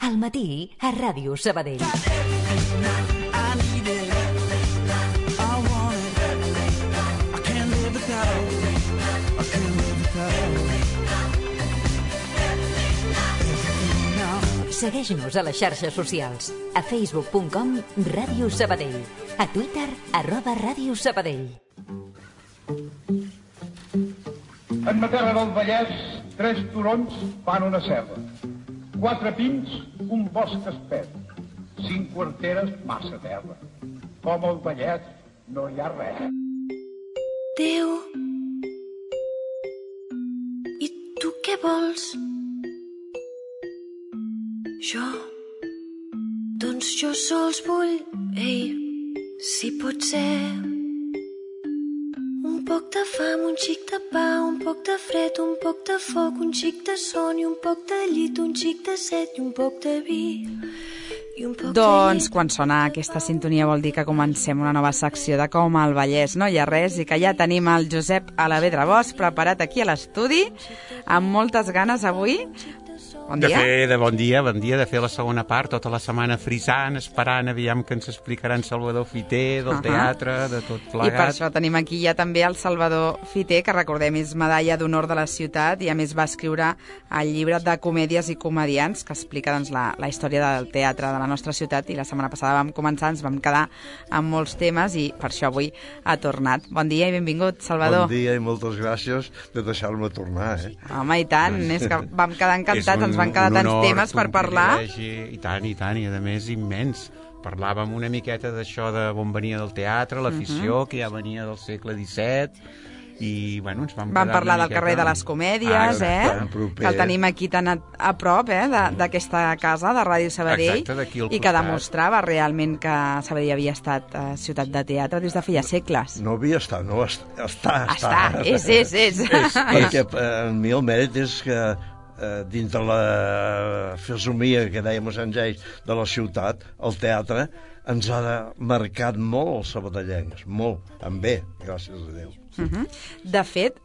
Al matí, a Ràdio Sabadell. Segueix-nos a les xarxes socials. A facebook.com Ràdio Sabadell. A Twitter, @Ràdio Sabadell. En ma terra del Vallès, 3 turons fan una serra. 4 pins, un bosc espès. 5 quarteres, massa terra. Com al Vallès no hi ha res. Déu, i tu què vols? Doncs jo sols vull, si pot ser, un poc de fam, un xic de pa, un poc de fred, un poc de foc, un xic de son i un poc de llit, un xic de set i un poc de vi. Doncs quan sona aquesta sintonia vol dir que comencem una nova secció de Com al Vallès no hi ha res i que ja tenim el Josep Alavedra Bosch preparat aquí a l'estudi amb moltes ganes avui. Bon dia. Bon dia, de fer la segona part, tota la setmana frisant, esperant, aviam que ens explicaran Salvador Fiter, del teatre, de tot plegat. I per això tenim aquí ja també el Salvador Fiter, que recordem és medalla d'honor de la ciutat i a més va escriure el llibre de comèdies i comediants que explica doncs, la història del teatre de la nostra ciutat i la setmana passada vam començar, ens vam quedar amb molts temes i per això avui ha tornat. Bon dia i benvingut, Salvador. Bon dia i moltes gràcies de deixar-me tornar. Home, i tant, és que vam quedar encantats, ens van quedar tants temes per parlar. I tant, i a més immens. Parlàvem una miqueta d'això de on venia del teatre, l'afició, que ja venia del segle XVII, i bueno, ens vam parlar del carrer de les Comèdies, que el tenim aquí tan a prop d'aquesta casa de Ràdio Sabadell. Exacte, d'aquí al costat. I que demostrava realment que Sabadell havia estat ciutat de teatre des de feia segles. No havia estat, no, està. És. Perquè per mi el mèrit és que dintre la fesomia que dèiem a Sant Geis de la ciutat, el teatre ens ha marcat molt els sabadellencs, molt, en bé, gràcies a Déu. De fet,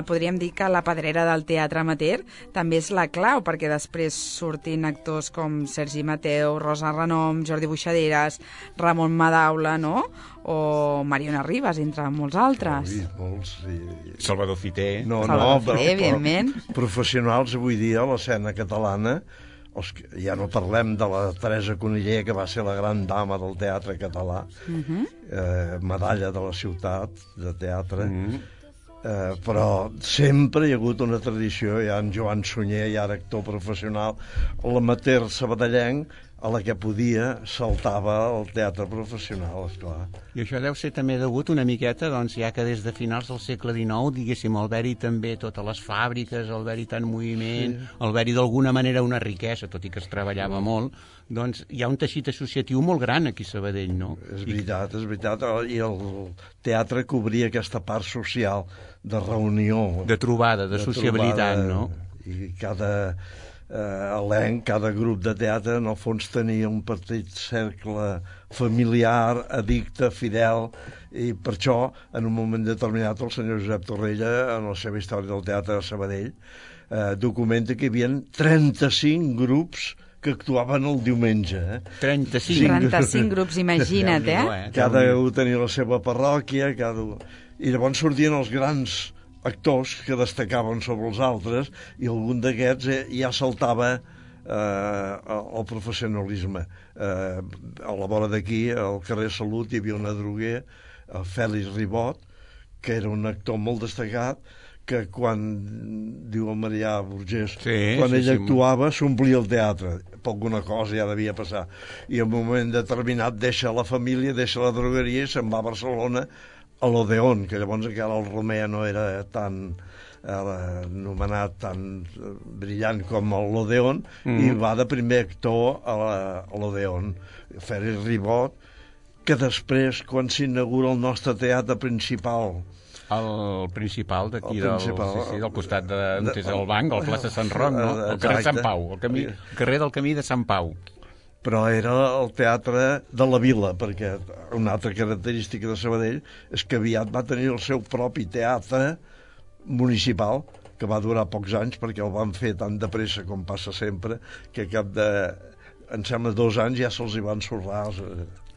podríem dir que la pedrera del teatre amateur també és la clau, perquè després sortin actors com Sergi Mateu, Rosa Renom, Jordi Buixaderes, Ramon Madaula, no?, o Mariona Ribas, entre molts altres. Sí, molts, sí. Salvador Fiter. Salvador Fiter, evidentment. Professionals avui dia a l'escena catalana, ja no parlem de la Teresa Coniller, que va ser la gran dama del teatre català, medalla de la ciutat de teatre, però sempre hi ha hagut una tradició, hi ha en Joan Sunyer, ja era actor professional, l'amateur sabadellenc, a la que podia saltava el teatre professional, esclar. I això deu ser també degut una miqueta, doncs, ja que des de finals del segle XIX, diguéssim, al haver-hi també totes les fàbriques, al haver-hi tant moviment, al haver-hi d'alguna manera una riquesa, tot i que es treballava molt, doncs hi ha un teixit associatiu molt gran aquí a Sabadell, no? És veritat, i el teatre cobria aquesta part social de reunió. De trobada, de sociabilitat, no? I cada elenc, cada grup de teatre, en el fons tenia un petit cercle familiar, addicte, fidel, i per això, en un moment determinat, el senyor Josep Torrella, en la seva història del teatre de Sabadell, documenta que hi havia 35 grups que actuaven el diumenge. 35 grups, imagina't, Cada un tenia la seva parròquia, i llavors sortien els grans actors que destacaven sobre els altres i algun d'aquests ja saltava el professionalisme. A la vora d'aquí, al carrer Salut, hi havia un adroguer, el Fèlix Ribot, que era un actor molt destacat, que quan, diu el Marià Burgés, quan ell actuava s'omplia el teatre. Per alguna cosa ja devia passar. I en un moment determinat deixa la família, deixa la drogueria i se'n va a Barcelona a l'Odeon, que llavors encara el Romea no era tan anomenat tan brillant com l'Odeon, i va de primer actor a l'Odeon, Fèlix Ribot, que després, quan s'inaugura el nostre teatre principal, el principal d'aquí del costat d'on és el banc, el plaça Sant Roc, no? El carrer Sant Pau, el carrer del Camí de Sant Pau. Però era el teatre de la vila, perquè una altra característica de Sabadell és que aviat va tenir el seu propi teatre municipal, que va durar pocs anys perquè el van fer tan de pressa com passa sempre, que cap em sembla 2 anys ja se'ls hi van sorrar.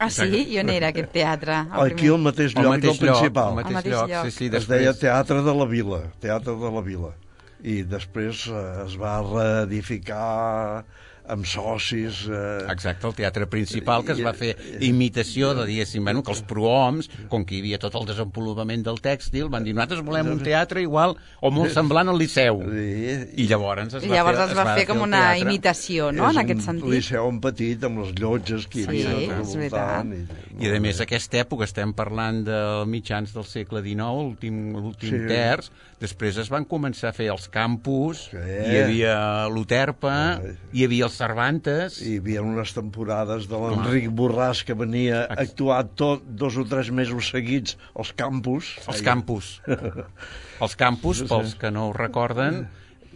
Ah, sí? I on era aquest teatre? Aquí al mateix lloc del principal. Al mateix lloc. Sí, Es deia Teatre de la Vila, Teatre de la Vila. I després es va reedificar amb socis... Exacte, el teatre principal, que es va fer imitació de, diguéssim, bueno, que els prohoms, com que hi havia tot el desenvolupament del tèxtil, van dir, nosaltres volem un teatre igual o molt semblant al Liceu. I llavors es va fer com una imitació, no?, en aquest sentit. És un liceu en petit, amb les llotges que hi havia al voltant. I a més, aquesta època, estem parlant de mitjans del segle XIX, l'últim terç, després es van començar a fer els campus, hi havia l'Uterpa, hi havia els Cervantes... Hi havia unes temporades de l'Enric Borràs que venia a actuar 2 o 3 mesos seguits als campus. Els campus. Els campus, pels que no ho recorden,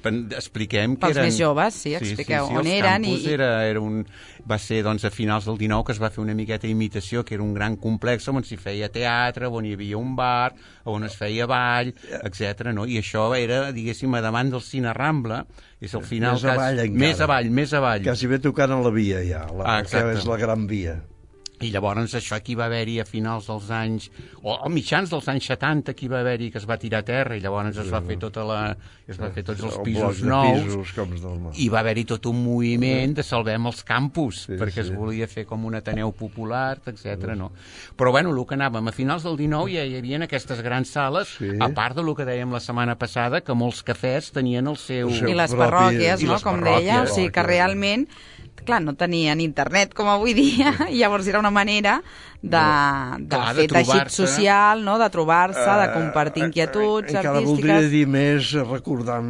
expliquem que eren... Pels més joves, sí, expliqueu on eren. Els campus va ser doncs, a finals del 19 que es va fer una miqueta imitació, que era un gran complex on s'hi feia teatre, on hi havia un bar, on es feia ball, etc. No? I això era, diguéssim, a davant del Cine Rambla, és el final... Més avall. Quasi bé tocant a la via, ja, que és la Gran Via. I llavors això aquí va haver-hi a finals dels anys, o a mitjans dels anys 70, aquí va haver-hi que es va tirar a terra i llavors es va fer tots els pisos nous i va haver-hi tot un moviment de salvem els campus, perquè es volia fer com un Ateneu popular, etc. No? Però bueno, el que anàvem, a finals del 19 ja hi havia aquestes grans sales, a part del que dèiem la setmana passada, que molts cafès tenien el seu... I les parròquies, no?, com deia, o sigui que realment... Clar, no tenien internet com avui dia, i llavors era una manera de fer teixit social, no?, de trobar-se, de compartir inquietuds artístiques. Encara voldria dir més, recordant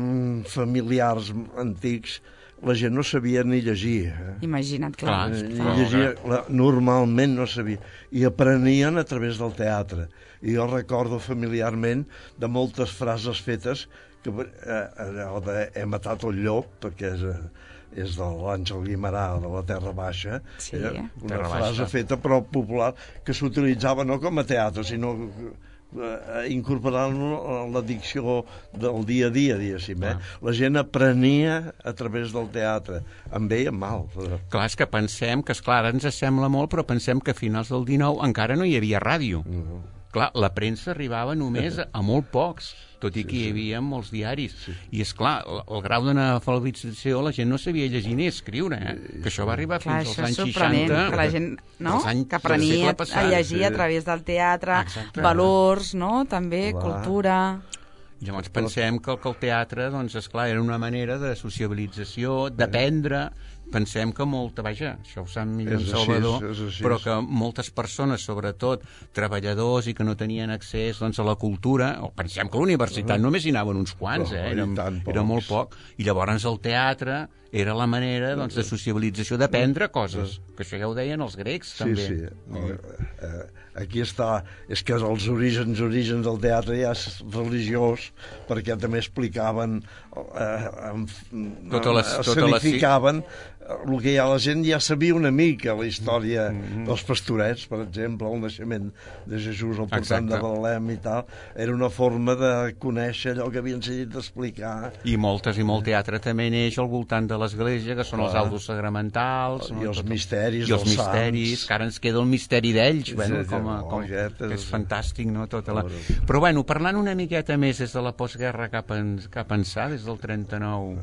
familiars antics, la gent no sabia ni llegir. Imagina't, clar. Ni llegir, normalment no sabia. I aprenien a través del teatre. I jo recordo familiarment de moltes frases fetes, que allò de he matat el llop, perquè és de l'Àngel Guimerà, de la Terra Baixa, una frase feta però popular, que s'utilitzava no com a teatre, sinó incorporant-lo a la dicció del dia a dia, diguéssim. La gent aprenia a través del teatre, amb bé i amb mal. Clar, és que pensem que, esclar, ara ens sembla molt, però pensem que a finals del 19 encara no hi havia ràdio. Clar, la premsa arribava només a molt pocs, tot i que hi havia molts diaris. I, esclar, el grau d'analfabetització, la gent no sabia llegir ni escriure, que això va arribar fins als anys 60. Que la gent, no?, que aprenia a llegir a través del teatre, valors, no?, també, cultura... Llavors pensem que el teatre, doncs, esclar, era una manera de sociabilització, d'aprendre. Pensem que això ho sap millor en Salvador, però que moltes persones, sobretot treballadors i que no tenien accés doncs, a la cultura, o pensem que a la universitat només hi anaven uns quants, era molt poc, i llavors el teatre era la manera doncs, de sociabilització, d'aprendre coses, que això ja ho deien els grecs, també. Sí. Aquí està, és que els orígens del teatre ja és religiós, perquè també explicaven, escenificaven el que ja la gent ja sabia una mica, la història dels pastorets, per exemple, el naixement de Jesús al portant de Betlem i tal, era una forma de conèixer allò que havien sentit d'explicar. I molt teatre també neix al voltant de l'església, que són els autos sagramentals, i els misteris dels sants, que ara ens queda el misteri d'ells, que és fantàstic, no? Però bueno, parlant una miqueta més des de la postguerra cap ençà, des del 39...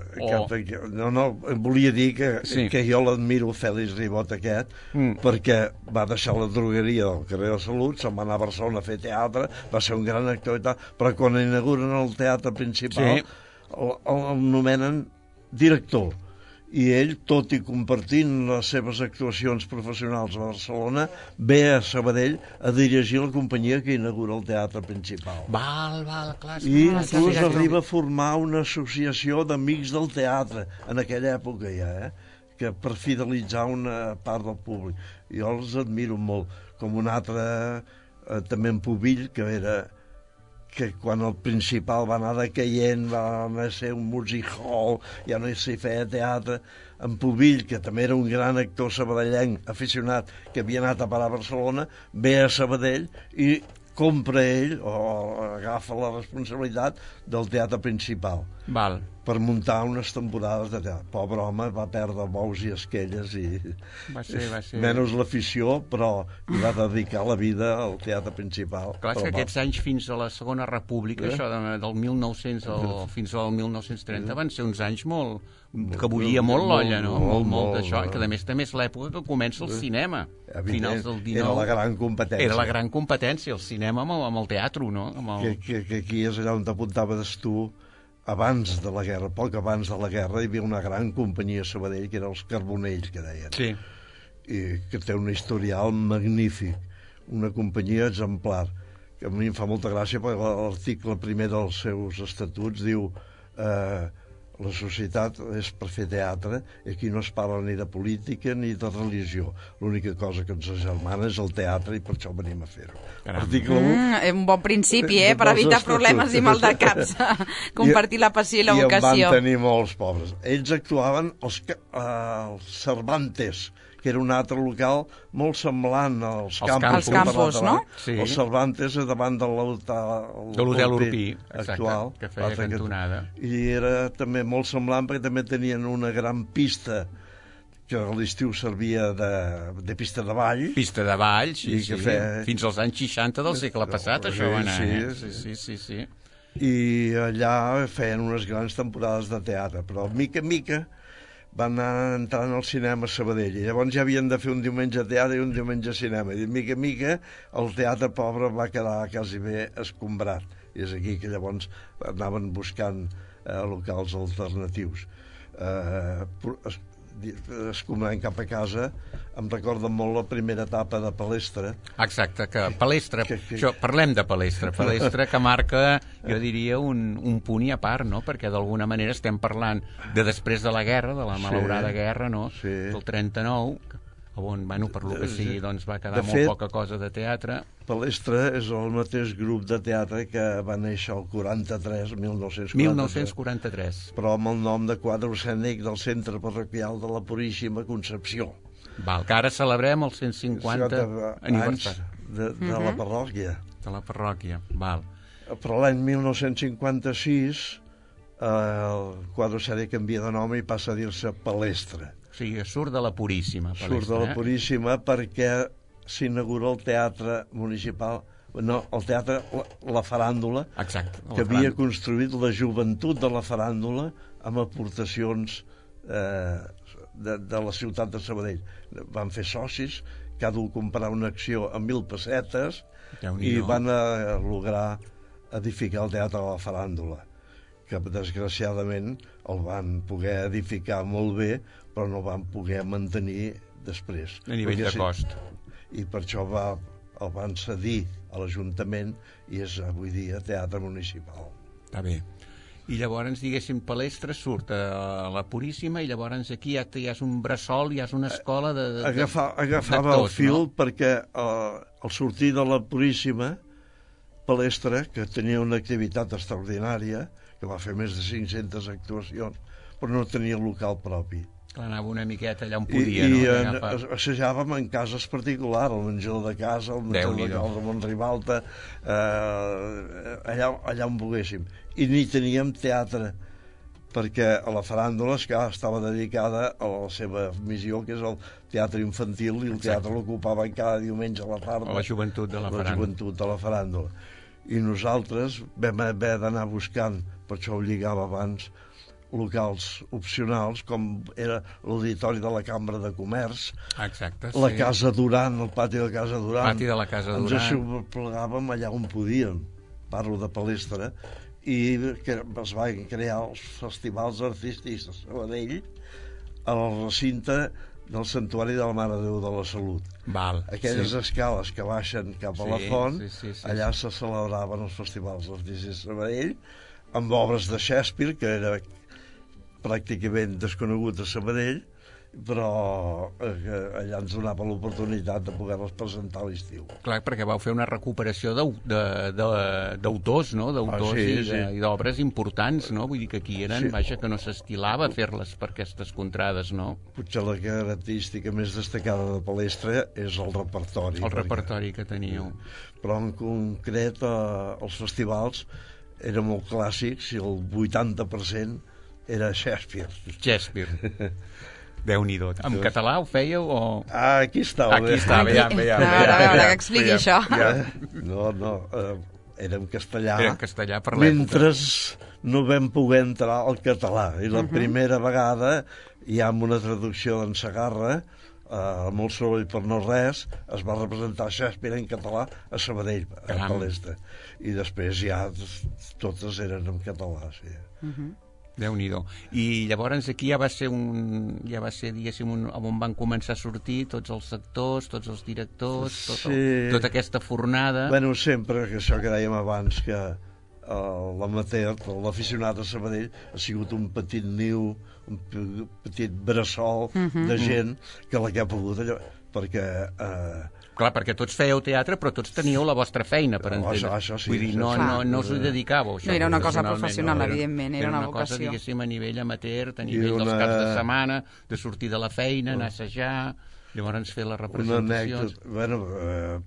No, volia dir que jo l'admiro, Fèlix Ribot aquest, perquè va deixar la drogueria del carrer de Salut, se'n va anar a Barcelona a fer teatre, va ser un gran actor i tal, però quan inauguren el teatre principal el nomenen director. I ell, tot i compartint les seves actuacions professionals a Barcelona, ve a Sabadell a dirigir la companyia que inaugura el teatre principal. Clar. I inclús arriba a formar una associació d'amics del teatre, en aquella època ja, que per fidelitzar una part del públic. Jo els admiro molt, com un altre, també en Pubill, que quan el principal va anar decaient, va anar a ser un music hall, ja no s'hi feia teatre. En Pubill, que també era un gran actor sabadellenc, aficionat, que havia anat a parar a Barcelona, ve a Sabadell i compra ell, o agafa la responsabilitat del teatre principal. per muntar unes temporades de teatre. Pobre home, va perdre bous i esquelles i Va ser. menys l'afició, però hi va dedicar la vida al teatre principal. Clar, és que aquests anys fins a la Segona República, això del 1900 fins al 1930, van ser uns anys que bullia molt l'olla, no? Molt d'això, que a més també és l'època que comença el cinema. Finals del 19. Era la gran competència. Era la gran competència, el cinema amb el teatre, no? Que aquí és allà on t'apuntaves tu. Abans de la guerra, poc abans de la guerra, hi havia una gran companyia a Sabadell, que era els Carbonells, que deien. Sí. I que té un historial magnífic, una companyia exemplar, que a mi em fa molta gràcia, perquè l'article primer dels seus estatuts diu la societat és per fer teatre i aquí no es parla ni de política ni de religió. L'única cosa que ens agermana és el teatre i per això venim a fer-ho. Article 1... un bon principi, per evitar problemes i mal de caps. Compartir la passió i la vocació. I en van tenir molts pobres. Ells actuaven als Cervantes, que era un altre local molt semblant als Campos, no? Sí. Els Cervantes davant de l'Hotel Urpí actual, que feia cantonada. I era també molt semblant perquè també tenien una gran pista que a l'estiu servia de pista de ball. Pista de ball, sí. Fins als anys 60 del segle passat, això va anar. Sí. I allà feien unes grans temporades de teatre, però mica en mica van anar entrant al cinema a Sabadell i llavors ja havien de fer un diumenge teatre i un diumenge cinema i mica en mica el teatre pobre va quedar quasi bé escombrat i és aquí que llavors anaven buscant locals alternatius escombrant cap a casa. Em recorda molt la primera etapa de Palestra. Exacte, que Palestra, parlem de Palestra que marca, jo diria, un punt i a part, no? Perquè d'alguna manera estem parlant de després de la guerra, de la malaurada guerra, no? Del 39, on, per lo que sigui, doncs va quedar molt poca cosa de teatre. Palestra és el mateix grup de teatre que va néixer el 1943. 1943. Però amb el nom de quadre escènic del Centre Parroquial de la Puríssima Concepció. Val, que ara celebrem el 150 aniversari de la parròquia. De la parròquia, val. Però l'any 1956 el quadre escènic canvia de nom i passa a dir-se Palestra. O sigui, surt de la Puríssima. Surt de la Puríssima perquè s'inaugura el teatre municipal, el teatre La Faràndula, que havia construït la joventut de la faràndula amb aportacions de la ciutat de Sabadell. Van fer socis, cada un comprar una acció a 1.000 pessetes i van lograr edificar el teatre de La Faràndula, que desgraciadament el van poder edificar molt bé, però no van poder mantenir després. A nivell de cost. I per això el van cedir a l'Ajuntament i és avui dia teatre municipal. Està bé. I llavors, diguéssim, Palestra surt a la Puríssima i llavors aquí ja és un bressol, ja és una escola agafava el fil, no? Perquè al sortir de la Puríssima, Palestra, que tenia una activitat extraordinària, que va fer més de 500 actuacions, però no tenia local propi. Clar, anava una miqueta allà on podia, no? I assajàvem en cases particulars, el menjador de casa, el menjador de casa de Montribalta, allà on volguéssim. I ni teníem teatre, perquè a la faràndula estava dedicada a la seva missió, que és el teatre infantil, i el teatre l'ocupava cada diumenge a la tarda. A la joventut de la faràndula. La joventut de la faràndula. I nosaltres vam haver d'anar buscant, per això ho lligava abans, locals opcionals, com era l'auditori de la Cambra de Comerç, la Casa Duran, el pati de la Casa Duran. Pati de la Casa Duran. Ens aixoplegàvem allà on podíem, parlo de Palestra, i es van crear els festivals artístics de Sabadell al recinte del Santuari de la Mare de Déu de la Salut. Aquelles escales que baixen cap a la font, allà se celebraven els festivals artístics de Sabadell, amb obres de Shakespeare, que era pràcticament desconegut a Sabadell, però allà ens donava l'oportunitat de poder-les presentar a l'estiu. Clar, perquè vau fer una recuperació d'autors, no? D'autors i d'obres importants, no? Vull dir que aquí eren, vaja, que no s'estilava fer-les per aquestes contrades, no? Potser la característica més destacada de Palestra és el repertori. El repertori que teníeu. Però en concret els festivals eren molt clàssics i el 80% Era Shakespeare. Shakespeare. Déu-n'hi-do. En català ho fèieu o...? Aquí estava. Aquí estava, veiem. A veure, que expliqui això. No, era en castellà. Era en castellà per l'època. Mentre no vam poder entrar al català. I la primera vegada, ja amb una traducció d'en Segarra, molt soroll per no res, es va representar Shakespeare en català a Sabadell, a Palestra. I després ja totes eren en català, sí. Déu-n'hi-do. I llavors aquí ja va ser, diguéssim, on van començar a sortir tots els actors, tots els directors, tota aquesta fornada. Bueno, sempre, que això que dèiem abans, que l'amateur, l'aficionat a Sabadell ha sigut un petit niu, un petit bressol de gent que la que ha pogut allò, perquè... Clar, perquè tots fèieu teatre, però tots teníeu la vostra feina, per entendre. Això sí. Vull dir, no us ho dedicàveu, això. No era una cosa professional, evidentment, era una vocació. Era una cosa, diguéssim, a nivell amateur, a nivell dels caps de setmana, de sortir de la feina, anar a assajar, llavors fer les representacions. Una anècdota,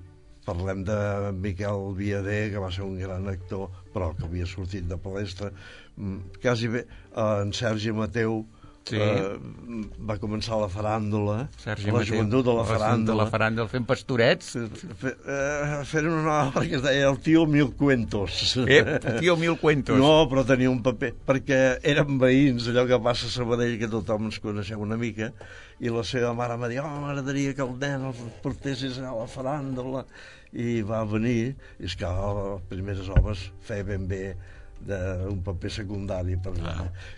parlem de Miquel Viader, que va ser un gran actor, però que havia sortit de Palestra. Quasi bé, en Sergi Mateu, va començar la faràndula, la joventut de la faràndula, fent pastorets, fent una obra que es deia El tio Mil Cuentos. El tio Mil Cuentos. No, però tenia un paper, perquè eren veïns, allò que passa a Sabadell, que tothom ens coneixeu una mica, i la seva mare em va dir, m'agradaria que el nen el portessis a la faràndula, i va venir, i és que les primeres obres feia ben bé d'un paper secundari per mi.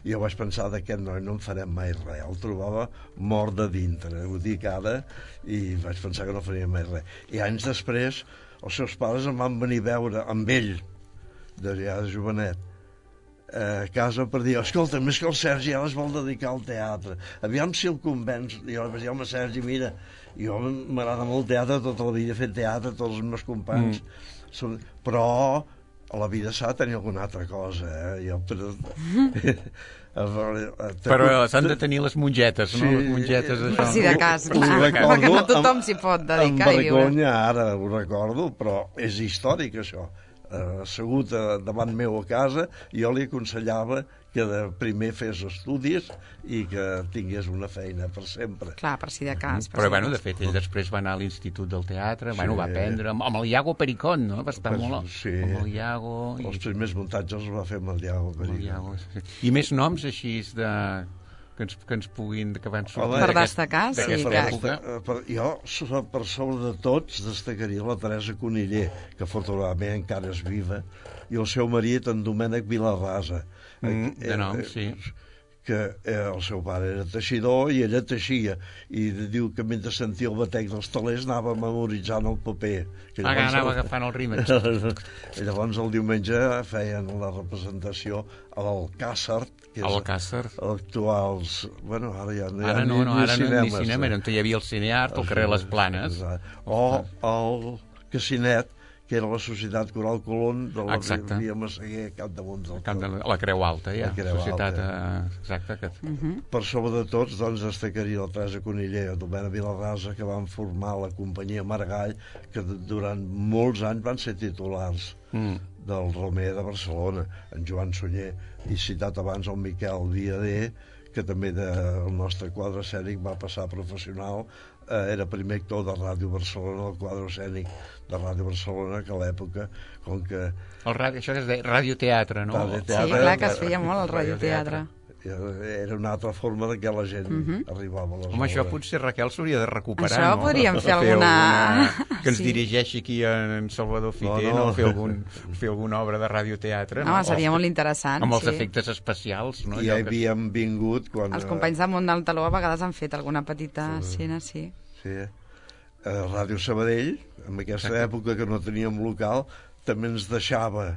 I jo vaig pensar d'aquest noi no en farem mai res, el trobava mort de dintre, ho dic ara, i vaig pensar que no faria mai res. I anys després els seus pares em van venir a veure amb ell, de jovenet, a casa per dir, escolta, més que el Sergi ara es vol dedicar al teatre, aviam si el convenç. I jo vaig dir, home, Sergi, mira, jo m'agrada molt el teatre, tota la vida he fet teatre, tots els meus companys, però a la vida s'ha de tenir alguna altra cosa, Però s'han de tenir les mongetes, no? Les mongetes, això. Sí, de cas, clar, perquè no tothom s'hi pot dedicar i viure. Amb vergonya, ara ho recordo, però és històric, això. Assegut davant meu a casa, jo li aconsellava que de primer fes estudis i que tingués una feina per sempre. Clar, per si de cas. Però, bueno, de fet, ell després va anar a l'Institut del Teatre, va aprendre amb el Iago Pericón, no? Va estar molt amb el Iago. Els primers muntatges els va fer amb el Iago Pericón. I més noms així que ens puguin, que van sortir per destacar, sí. Jo, per sobre de tots, destacaria la Teresa Coniller, que afortunadament encara és viva, i el seu marit, en Domènec Vilarrasa. De nom, sí. Que el seu pare era teixidor i ella teixia, i diu que mentre sentia el batec dels telers anava memoritzant el paper. Anava agafant el rímel. I llavors el diumenge feien la representació a l'Alcàsser, que és actuals... Bueno, ara ja no hi ha ni cinema, on hi havia el Cineart, al carrer Les Planes. O el Casinet, que era la Societat Coral Colón de la Via Massaguer, capdamunt del tot. La Creu Alta, ja. Societat, exacte. Per sobre de tots, doncs, destacaria la Teresa Coniller i la Domènec Vilarrasa, que van formar la companyia Margall, que durant molts anys van ser titulars del Romer de Barcelona, en Joan Sunyer, i citat abans el Miquel Viader, que també del nostre quadre escènic va passar professional, era primer actor de Ràdio Barcelona, el quadre escènic de Ràdio Barcelona, que a l'època, com que... Això que es deia radioteatre, no? Sí, clar, que es feia molt el radioteatre. Era una altra forma de que la gent arribava a les Home, això potser Raquel s'hauria de recuperar, això no? Podríem fer alguna... Que ens dirigeixi aquí en Salvador Fiter, no? Fer alguna obra de radioteatre. Home, seria molt interessant. Amb els efectes especials, no? Ja havíem vingut quan... Els companys del Món del Taló a vegades han fet alguna petita escena, sí. Sí. Ràdio Sabadell, en aquesta època que no teníem local, també ens deixava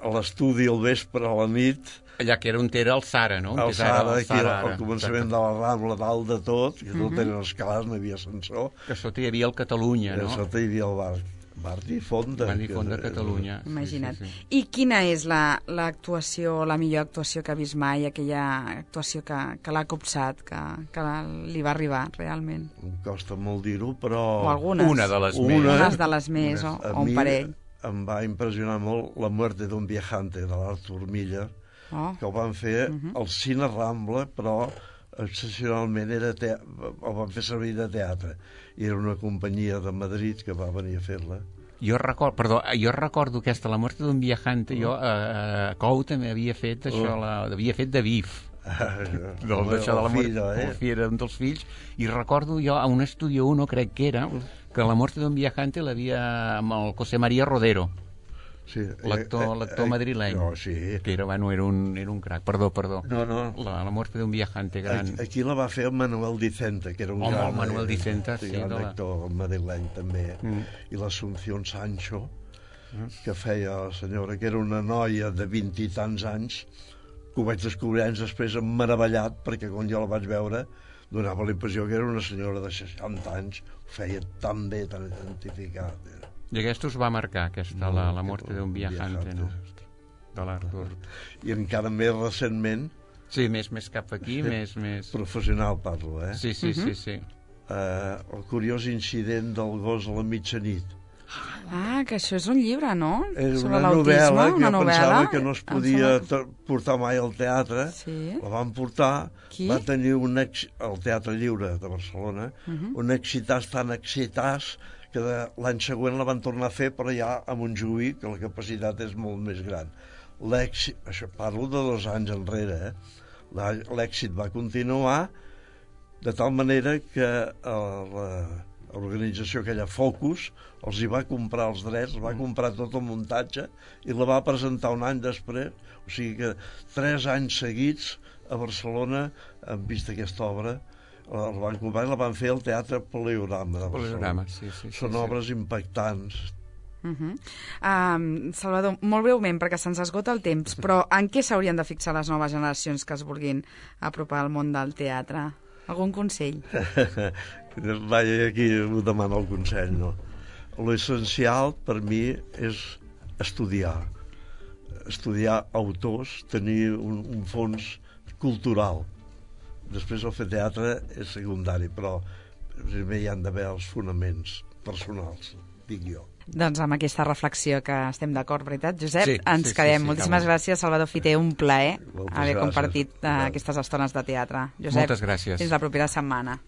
a l'estudi al vespre, a la nit... Allà que era on era el Sara, no? El Sara, aquí al començament de la Rambla, dalt de tot, que tot eren escalars, no hi havia ascensor. Que sota hi havia el Catalunya, no? Que sota hi havia el Bar Difonda. Bar Difonda, Catalunya. Imagina't. I quina és l'actuació, la millor actuació que ha vist mai, aquella actuació que l'ha copsat, que li va arribar, realment? Em costa molt dir-ho, però... O algunes. Una de les més. Unes de les més, o un parell. Em va impressionar molt La muerte d'un viajante, de l'Artur Miller, que ho van fer al Cine Rambla, però excepcionalment ho van fer servir de teatre. I era una companyia de Madrid que va venir a fer-la. Jo recordo aquesta, La muerte d'un viajante, jo a Cou també havia fet això, havia fet de Bif. Era un dels fills, i recordo jo a un Estudio 1, crec que era, que La muerte d'un viajante l'havia amb el José María Rodero, l'actor madrileny, que era un crac. Perdó. La muerte d'un viajante gran. Aquí la va fer el Manuel Dicenta, que era un gran actor madrileny també, i l'Asunción Sancho, que feia la senyora, que era una noia de 20 i tants anys, que ho vaig descobrir anys després meravellat, perquè quan jo la vaig veure donava la impressió que era una senyora de 60 anys, ho feia tan bé, tan identificat. I aquesta us va marcar, la muerte d'un viajante, no? De l'Artur. I encara més recentment... Sí, més cap aquí, més... Professional parlo, Sí. El curiós incident del gos a la mitjanit. Que això és un llibre, no? És una novel·la que jo pensava que no es podia portar mai al teatre. La van portar, va tenir al Teatre Lliure de Barcelona, un excitàs tan excitàs que l'any següent la van tornar a fer, però ja a Montjuïc, que la capacitat és molt més gran. Això parlo de 2 anys enrere, l'èxit va continuar, de tal manera que l'organització aquella Focus els hi va comprar els drets, va comprar tot el muntatge i la va presentar un any després, o sigui que 3 anys seguits a Barcelona han vist aquesta obra, la van comprar i la van fer al Teatre Poliorama de Barcelona. Són obres impactants. Salvador, molt breument, perquè se'ns esgota el temps, però en què s'haurien de fixar les noves generacions que es vulguin apropar al món del teatre? Algun consell? Vaja, aquí ho demano el consell, no? L'essencial per mi és estudiar autors, tenir un fons cultural. Després el fer teatre és secundari, però primer hi han d'haver els fonaments personals, dic jo. Doncs amb aquesta reflexió que estem d'acord, veritat, Josep? Ens quedem. Moltíssimes gràcies, Salvador Fiter, un plaer haver compartit aquestes estones de teatre. Josep, moltes gràcies. Fins la propera setmana.